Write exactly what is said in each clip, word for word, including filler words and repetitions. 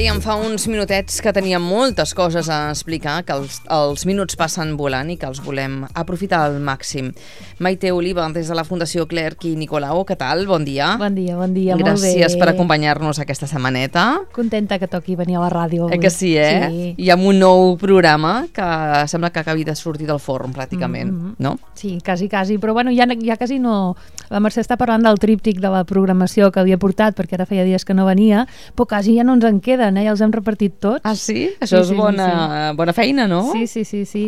Dèiem fa uns minutets que teníem moltes coses a explicar, que els, els minuts passen volant i que els volem aprofitar al màxim. Maite Oliva, des de la Fundació Clerc i Nicolau, què tal? Bon dia. Bon dia, bon dia, molt bé. Gràcies per acompanyar-nos aquesta setmaneta. Contenta que toqui venir a la ràdio. Eh que sí, eh? Sí. I amb un nou programa que sembla que acabi de sortir del forn, pràcticament, Mm-hmm. no? Sí, quasi, quasi, però bueno, ja, ja quasi no... La Mercè està parlant del tríptic de la programació que havia portat, perquè ara feia dies que no venia, però quasi ja no ens en queden, eh? Ja els hem repartit tots. Ah, sí? Això Sí, és sí, bona, sí, sí. bona feina, no? Sí, sí, sí, sí.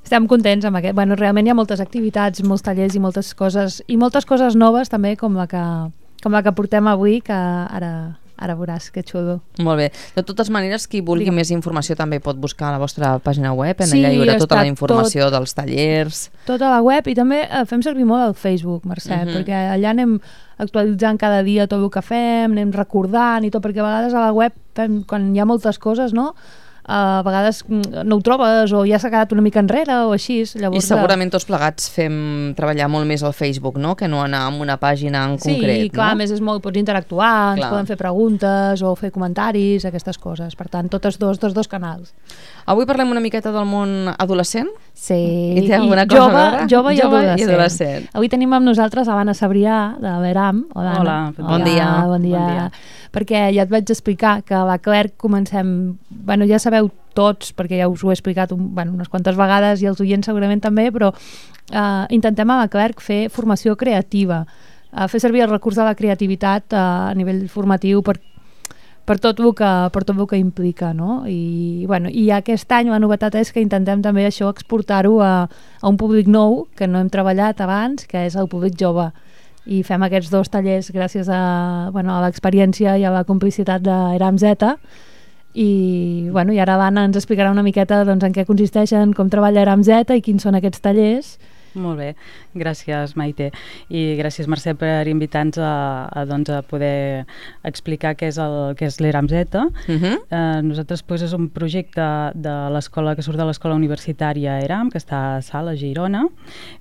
Estem contents amb aquest. Bueno, realment hi ha moltes activitats, molts tallers i moltes coses, i moltes coses noves també, com la que, com la que portem avui, que ara... Ara veuràs, que xulo. Molt bé. De totes maneres, qui vulgui Digue'm. més informació també pot buscar a la vostra pàgina web, en Sí, allà hi haurà tota està la informació dels tallers. Tota la web, i també eh, fem servir molt el Facebook, Mercè, Mhm. perquè allà anem actualitzant cada dia tot el que fem, anem recordant i tot, perquè a vegades a la web fem, quan hi ha moltes coses, no? Uh, a vegades mm, no ho trobes o ja s'ha quedat una mica enrere o així. Llavors, I segurament tots plegats fem treballar molt més al Facebook, no? Que no anar a una pàgina en sí, concret, Sí, clar, no? a més és molt, pots interactuar, ens Clar. poden fer preguntes o fer comentaris, aquestes coses. Per tant, totes dos, dos, dos canals. Avui parlem una miqueta del món adolescent. Sí, I té alguna cosa jove, a veure? jove, i, Jove i adolescent. adolescent. Avui tenim amb nosaltres l'Anna Sabrià, de l'Eram. Hola, Hola, Anna. bon Bon dia. Bon dia. Bon dia. Perquè ja et vaig explicar que a la Clerc comencem... Bueno, ja sabeu tots, perquè ja us ho he explicat un, bueno, unes quantes vegades i els oients segurament també, però eh, intentem a la Clerc fer formació creativa, eh, fer servir el recurs de la creativitat eh, a nivell formatiu per per tot el que, per tot el que implica, no? I, bueno, i aquest any la novetat és que intentem també això exportar-ho a, a un públic nou que no hem treballat abans, que és el públic jove. I fem aquests dos tallers gràcies a, bueno, a l'experiència i a la complicitat d'Eram Z. I, bueno, i ara l'Anna ens explicarà una miqueta doncs, en què consisteixen, com treballa Eram Z i quins són aquests tallers. Molt bé, gràcies Maite, i gràcies Mercè per invitar-nos a, a, doncs, a poder explicar què és el que és l'Eram Z. Uh-huh. eh, nosaltres pues, és un projecte de l'escola que surt de l'escola universitària Eram, que està a Salt, a Girona,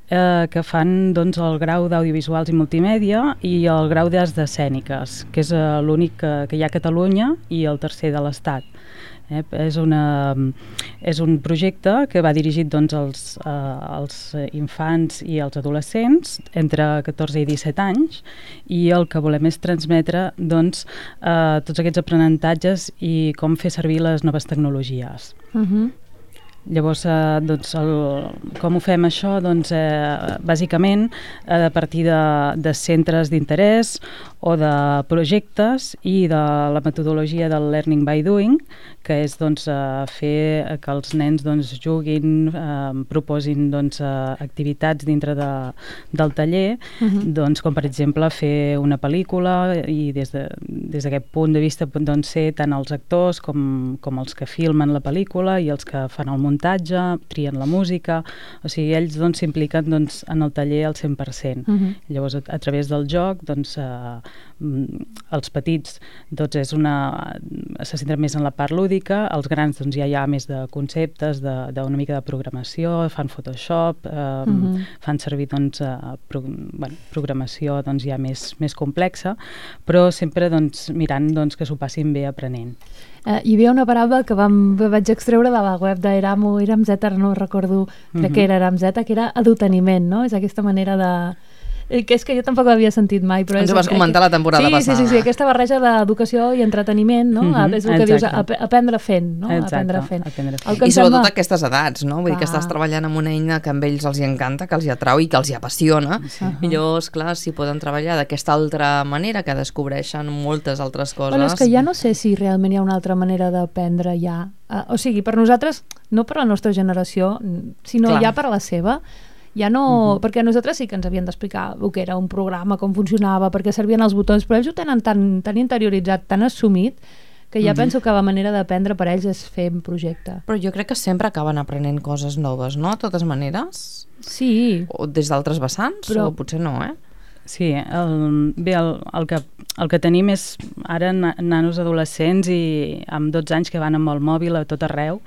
eh, que fan doncs, el grau d'audiovisuals i multimèdia i el grau d'arts escèniques, que és eh, l'únic que, que hi ha a Catalunya i el tercer de l'Estat. Eh, és, una, és un projecte que va dirigit doncs, als, eh, als infants i als adolescents entre catorze i disset anys, i el que volem és transmetre doncs, eh, tots aquests aprenentatges i com fer servir les noves tecnologies. Uh-huh. Llavors, eh, doncs, el, com ho fem això? Doncs, eh, bàsicament, eh, a partir de, de centres d'interès o de projectes i de la metodologia del Learning by Doing, que és doncs, eh, fer que els nens doncs, juguin, eh, proposin doncs, eh, activitats dintre de, del taller, Uh-huh. doncs, com per exemple fer una pel·lícula, i des de, des d'aquest punt de vista pot doncs, ser tant els actors com, com els que filmen la pel·lícula i els que fan el muntatge, trien la música, o sigui, ells doncs, s'impliquen doncs, en el taller al cent per cent. Uh-huh. Llavors, a, a través del joc, doncs, eh, els petits doncs, és una, se centren més en la part lúdica, els grans doncs, ja hi ha més de conceptes, d'una mica de programació, fan Photoshop, eh, Uh-huh. fan servir doncs, eh, pro, bueno, programació doncs, ja més, més complexa, però sempre doncs, mirant doncs, que s'ho passin bé aprenent. Eh, hi havia una paraula que vam, vaig extreure de la web d'Eram o Eram Z, ara no recordo, crec Mhm. que era Eram Z, que era adoteniment, no? És aquesta manera de... eh, que és que jo tampoc l'havia sentit mai, però Ens és... ho vas comentar la temporada sí, passada. Sí, sí, sí, aquesta barreja d'educació i entreteniment, no? Mhm, És el que dius, exacte. ap aprendre fent, no? Exacte, Aprendre fent. aprendre fent. El que I em sobretot sembla- a aquestes edats, no? Vull dir que Clar. estàs treballant amb una eina que a ells els hi encanta, que els hi atrau i que els hi apassiona. Uh-huh. I llavors, clar, si poden treballar d'aquesta altra manera, que descobreixen moltes altres coses... Bueno, és que ja no sé si realment hi ha una altra manera d'aprendre ja. Uh, o sigui, per nosaltres, no per la nostra generació, sinó Clar. ja per la seva, ja no... Mhm. Perquè nosaltres sí que ens havien d'explicar el que era un programa, com funcionava, perquè servien els botons, però ells ho tenen tan, tan interioritzat, tan assumit, que ja Mhm. penso que la manera d'aprendre per ells és fer un projecte. Però jo crec que sempre acaben aprenent coses noves, no? De totes maneres? Sí, O des d'altres vessants? Però- O potser no, eh? Sí, el, bé, el, el, que, el que tenim és ara na- nanos adolescents i amb dotze anys que van amb el mòbil a tot arreu,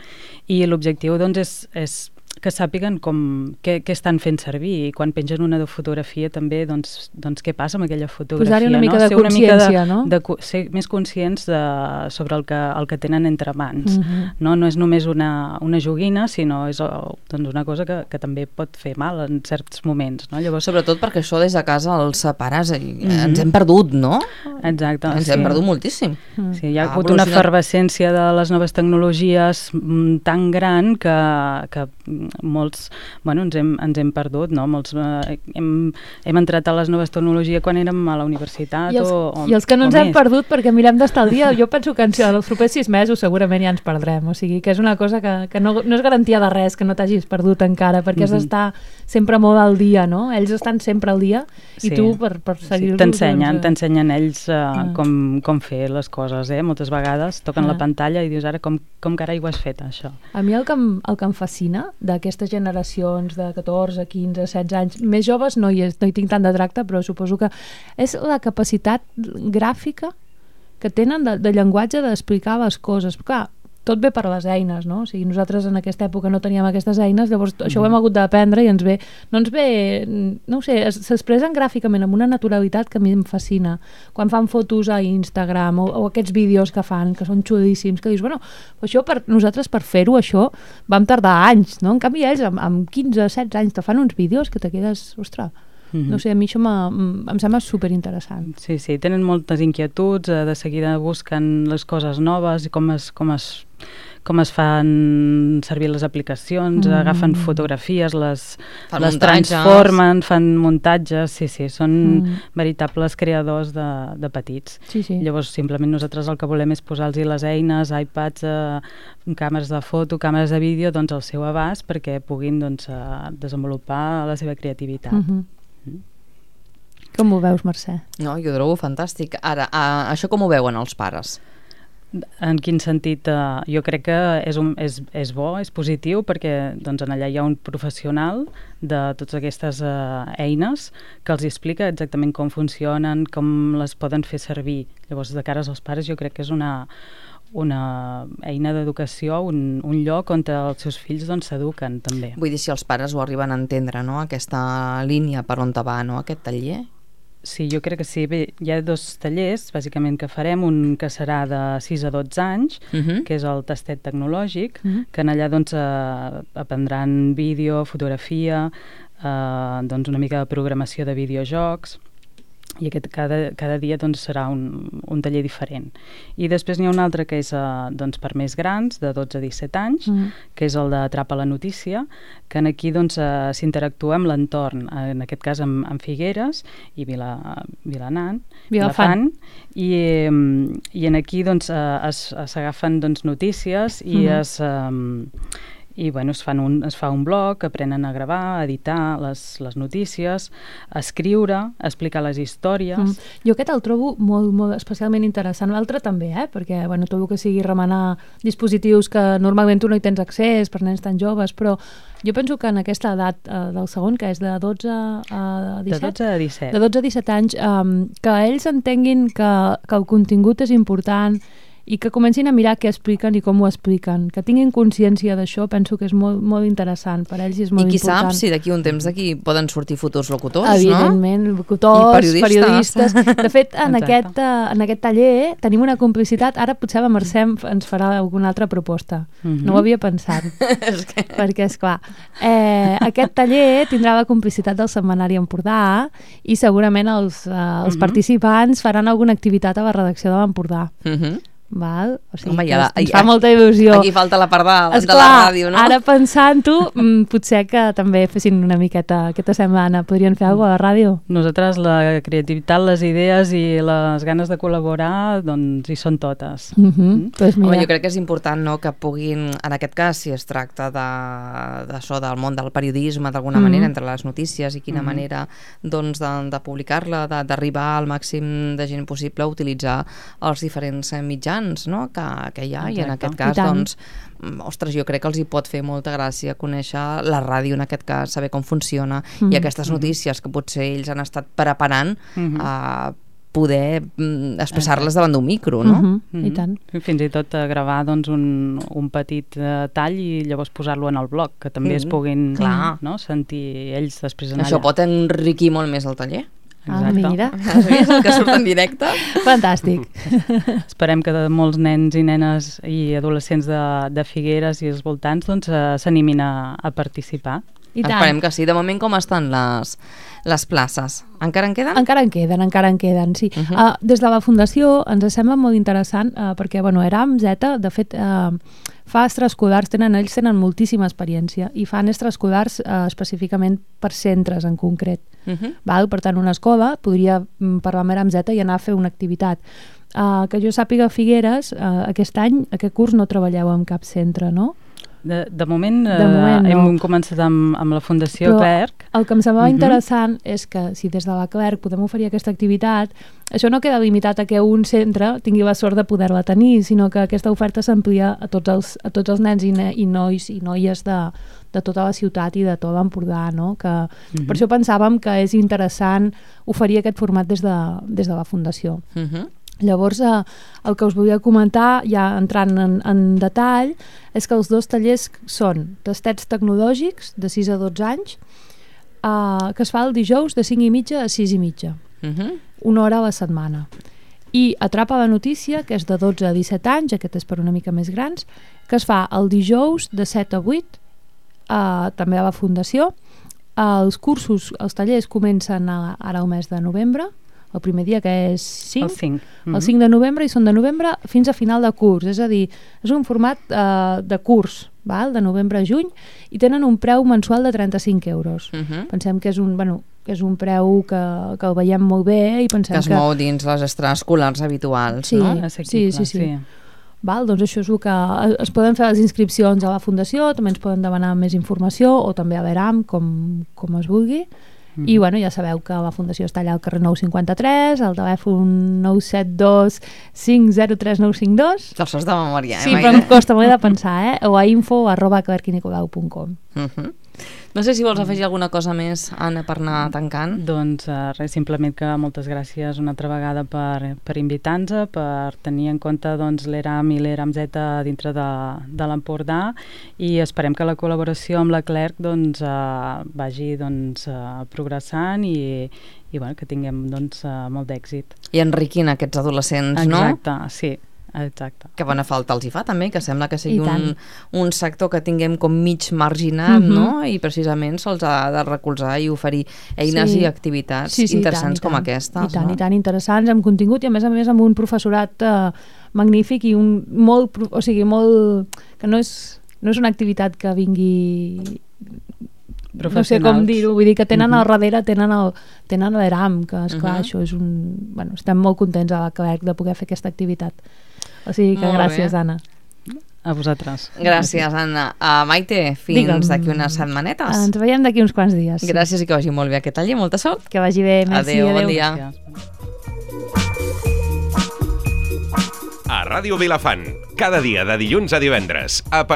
i l'objectiu doncs, és, és que sàpiguen com, què, què estan fent servir, i quan pengen una fotografia també, doncs, doncs què passa amb aquella fotografia. Posar-hi una mica no? de ser una consciència, mica de, no? De, ser més conscients de, sobre el que, el que tenen entre mans. Uh-huh. no? no és només una, una joguina, sinó és doncs, una cosa que, que també pot fer mal en certs moments. No? Llavors, sobretot perquè això des de casa els pares i Mm-hmm. ens hem perdut, no? exacte. Ens sí. hem perdut moltíssim. Mm. Sí, hi ha Ha hagut una evolucionat. efervescència de les noves tecnologies mm, tan gran que, que molts, bueno, ens hem, ens hem perdut, no? Molts, eh, hem, hem entrat a les noves tecnologies quan érem a la universitat I els, o, o I els que no o ens hem més. perdut perquè mirem d'estar al dia, jo penso que en els propers sis mesos segurament ja ens perdrem, o sigui que és una cosa que, que no, no és garantia de res que no t'hagis perdut encara, perquè has Mhm. d'estar sempre molt al dia, no? Ells estan sempre al dia i Sí. tu per, per Sí, seguir-los... t'ensenyen, doncs, t'ensenyen ells uh, Ah. com, com fer les coses, eh? Moltes vegades toquen Ah. la pantalla i dius, ara com, com carai ho has fet, això? A mi el que em, el que em fascina d'aquestes generacions de catorze, quinze, setze anys, més joves no hi, és, no hi tinc tant de tracte, però suposo que és la capacitat gràfica que tenen de, de llenguatge d'explicar les coses. Clar, tot ve per les eines, no? O sigui, nosaltres en aquesta època no teníem aquestes eines, llavors mm. això ho hem hagut d'aprendre i ens ve, no ens ve, no ho sé, s'expressen gràficament amb una naturalitat que a mi em fascina. Quan fan fotos a Instagram o, o aquests vídeos que fan, que són xulíssims, que dius, bueno, això per nosaltres per fer-ho, això vam tardar anys, no? En canvi ells amb, amb quinze, setze anys te fan uns vídeos que te quedes, ostres, Mhm. no sé, a mi això em sembla superinteressant. Sí, sí, tenen moltes inquietuds, eh, de seguida busquen les coses noves i com es, com es, com es fan servir les aplicacions, Mm. agafen fotografies, les, Fan les muntatges. transformen, fan muntatges, sí, sí, són Mm. veritables creadors de, de petits. Sí, sí. Llavors, simplement nosaltres el que volem és posar-los les eines, iPads, eh, càmeres de foto, càmeres de vídeo, doncs al seu abast perquè puguin doncs, eh, desenvolupar la seva creativitat. Mhm. Com ho veus, Mercè? No, jo ho trobo fantàstic. Ara, a, això com ho veuen els pares? En quin sentit? Eh, jo crec que és, un, és, és bo, és positiu, perquè doncs, en allà hi ha un professional de totes aquestes eh, eines que els explica exactament com funcionen, com les poden fer servir. Llavors, de cara als pares, jo crec que és una, una eina d'educació, un, un lloc on els seus fills doncs, s'eduquen també. Vull dir, si els pares ho arriben a entendre, no?, aquesta línia per on te va, no?, aquest taller. Sí, jo crec que sí. Bé, hi ha dos tallers, bàsicament, que farem. Un que serà de sis a dotze anys, Uh -huh. que és el tastet tecnològic, Mhm. que en allà doncs, eh, aprendran vídeo, fotografia, eh, doncs una mica de programació de videojocs, i aquest cada, cada dia doncs, serà un, un taller diferent. I després n'hi ha un altre que és eh, doncs, per més grans, de dotze a disset anys, Mhm. que és el d'Atrapa la notícia, que en aquí doncs, eh, s'interactua amb l'entorn, en aquest cas amb, amb Figueres i Vila, Vilanant, Vilafant. i, eh, i en aquí doncs, eh, es, s'agafen doncs, notícies i Mhm. es... Eh, i bueno, es, fan un, es fa un blog, aprenen a gravar, a editar les, les notícies, a escriure, a explicar les històries. Mm. Jo aquest el trobo molt, molt especialment interessant. L'altre també, eh? Perquè bueno, tot el que sigui remenar dispositius que normalment tu no hi tens accés per nens tan joves, però jo penso que en aquesta edat eh, del segon, que és de dotze a disset, De dotze a disset. de dotze a disset anys, eh, que ells entenguin que, que el contingut és important i que comencin a mirar què expliquen i com ho expliquen, que tinguin consciència d'això, penso que és molt, molt interessant, per ells és molt I qui important. sap si d'aquí un temps d'aquí poden sortir futurs locutors, Evidentment, no? locutors, I periodistes. periodistes. De fet, en Exacte. aquest, uh, en aquest taller tenim una complicitat. Ara potser la Mercè ens farà alguna altra proposta. Mhm. No ho havia pensat. És que... Perquè, esclar, eh, aquest taller tindrà la complicitat del Setmanari Empordà i segurament els, uh, els Mhm. participants faran alguna activitat a la redacció de l'Empordà. Uh -huh. Val? O sigui, Home, que ja- ens ja- fa molta il·lusió. Aquí falta la part de, de Esclar, la ràdio, no? ara pensant-ho, mm, potser que també fessin una miqueta aquesta setmana. Podrien fer alguna cosa a la ràdio? Nosaltres la creativitat, les idees i les ganes de col·laborar, doncs hi són totes. Uh -huh. pues mira. Home, jo crec que és important, no?, que puguin, en aquest cas, si es tracta de, d'això, del món del periodisme, d'alguna Mhm. manera, entre les notícies i quina Mhm. manera, doncs, de, de publicar-la, de- d'arribar al màxim de gent possible a utilitzar els diferents eh, mitjans, no?, que, que hi ha, i en Exacte. aquest I cas, tant. doncs, mm, ostres, jo crec que els hi pot fer molta gràcia conèixer la ràdio, en aquest cas, saber com funciona, Mhm. i aquestes notícies que potser ells han estat preparant Mhm. eh, poder mm, expressar-les davant d'un micro, no? Uh -huh, Mm-hmm. I tant. Fins i tot uh, gravar doncs, un, un petit uh, tall i llavors posar-lo en el blog, que també mm, es puguin clar. no, sentir ells després en Això allà. pot enriquir molt més el taller. Ah, mira. Has vist el que surt en directe? Fantàstic. Esperem que de molts nens i nenes i adolescents de, de Figueres i els voltants doncs, uh, s'animin a, a participar. I tant. Esperem que sí. De moment, com estan les, les places? Encara en queden? Encara en queden, encara en queden, sí. Uh -huh. uh, des de la Fundació ens sembla molt interessant uh, perquè, bueno, ERAM, Zeta, de fet, uh, fa extraescolars, tenen, ells tenen moltíssima experiència i fan extraescolars uh, específicament per centres en concret. Uh -huh. Val? Per tant, una escola podria mm, parlar amb ERAM Zeta i anar a fer una activitat. Uh, que jo sàpiga, a Figueres, uh, aquest any, aquest curs no treballeu en cap centre, no? De, de moment, De moment eh, no. hem començat amb, amb la Fundació Però Clerc. el que em semblava Mhm. interessant és que si des de la Clerc podem oferir aquesta activitat, això no queda limitat a que un centre tingui la sort de poder-la tenir, sinó que aquesta oferta s'amplia a tots els, a tots els nens i, ne, i nois i noies de, de tota la ciutat i de tot l'Empordà, no? Que Mhm. per això pensàvem que és interessant oferir aquest format des de, des de la Fundació. Uh -huh. Llavors, eh, el que us volia comentar, ja entrant en, en detall, és que els dos tallers són tastets tecnològics de sis a dotze anys, eh, que es fa el dijous de cinc i mitja a sis i mitja, Uh -huh. una hora a la setmana. I Atrapa la notícia, que és de dotze a disset anys, aquest és per una mica més grans, que es fa el dijous de set a vuit, eh, també a la Fundació. Eh, els cursos, els tallers comencen a, ara al mes de novembre, el primer dia, que és cinc, El cinc. el cinc de novembre, i són de novembre fins a final de curs, és a dir, és un format eh, de curs, val? De novembre a juny, i tenen un preu mensual de trenta-cinc euros. Uh -huh. Pensem que és un, bueno, que és un preu que, que el veiem molt bé i pensem Que es que... mou dins les extraescolars habituals, Sí. no? Assequible, sí, sí, sí. Val? Doncs això és el que... Es poden fer les inscripcions a la Fundació, també ens poden demanar més informació, o també a l'ERAM, com, com es vulgui. I bueno, ja sabeu que la Fundació està allà al carrer nou cinquanta-tres, al telèfon nou set dos cinc zero tres nou cinc dos. Te'ls saps de memòria, eh, Sí, Maite? però em costa molt de pensar, eh? O a info arroba clerquinicolau punt com. Uh -huh. No sé si vols afegir alguna cosa més, Anna, per anar tancant. Doncs uh, res, simplement que moltes gràcies una altra vegada per, per invitar-nos, per tenir en compte doncs, l'ERAM i l'ERAM Zeta dintre de, de l'Empordà, i esperem que la col·laboració amb la Clerc doncs, uh, vagi doncs, uh, progressant i, i bueno, que tinguem doncs, uh, molt d'èxit. I enriquint aquests adolescents, no? Exacte, sí. Exacte. Que bona falta els hi fa també, que sembla que sigui I un, tant. un sector que tinguem com mig marginat, Mhm. no? I precisament se'ls ha de recolzar i oferir eines Sí. i activitats Sí, sí, i interessants tant, i com tant. aquestes. I tant, no? i tant, interessants, amb contingut i a més a més amb un professorat eh, magnífic i un molt, pro- o sigui, molt... que no és, no és una activitat que vingui... No sé com Professionals. dir-ho, vull dir que tenen al Mhm. darrere, tenen el, tenen l'ERAM, que esclar, Mhm. això és un... Bueno, estem molt contents a la Clerc de poder fer aquesta activitat. O sigui que Molt gràcies, bé. Anna. A vosaltres. Gràcies, Anna. Uh, Maite, fins Digue'm. d'aquí unes setmanetes. Ens veiem d'aquí uns quants dies. Gràcies i que vagi molt bé aquest taller. Molta sort. Que vagi bé, merci, Adéu, adéu. bon dia. Gràcies. A Ràdio Vilafant, cada dia de dilluns a divendres, a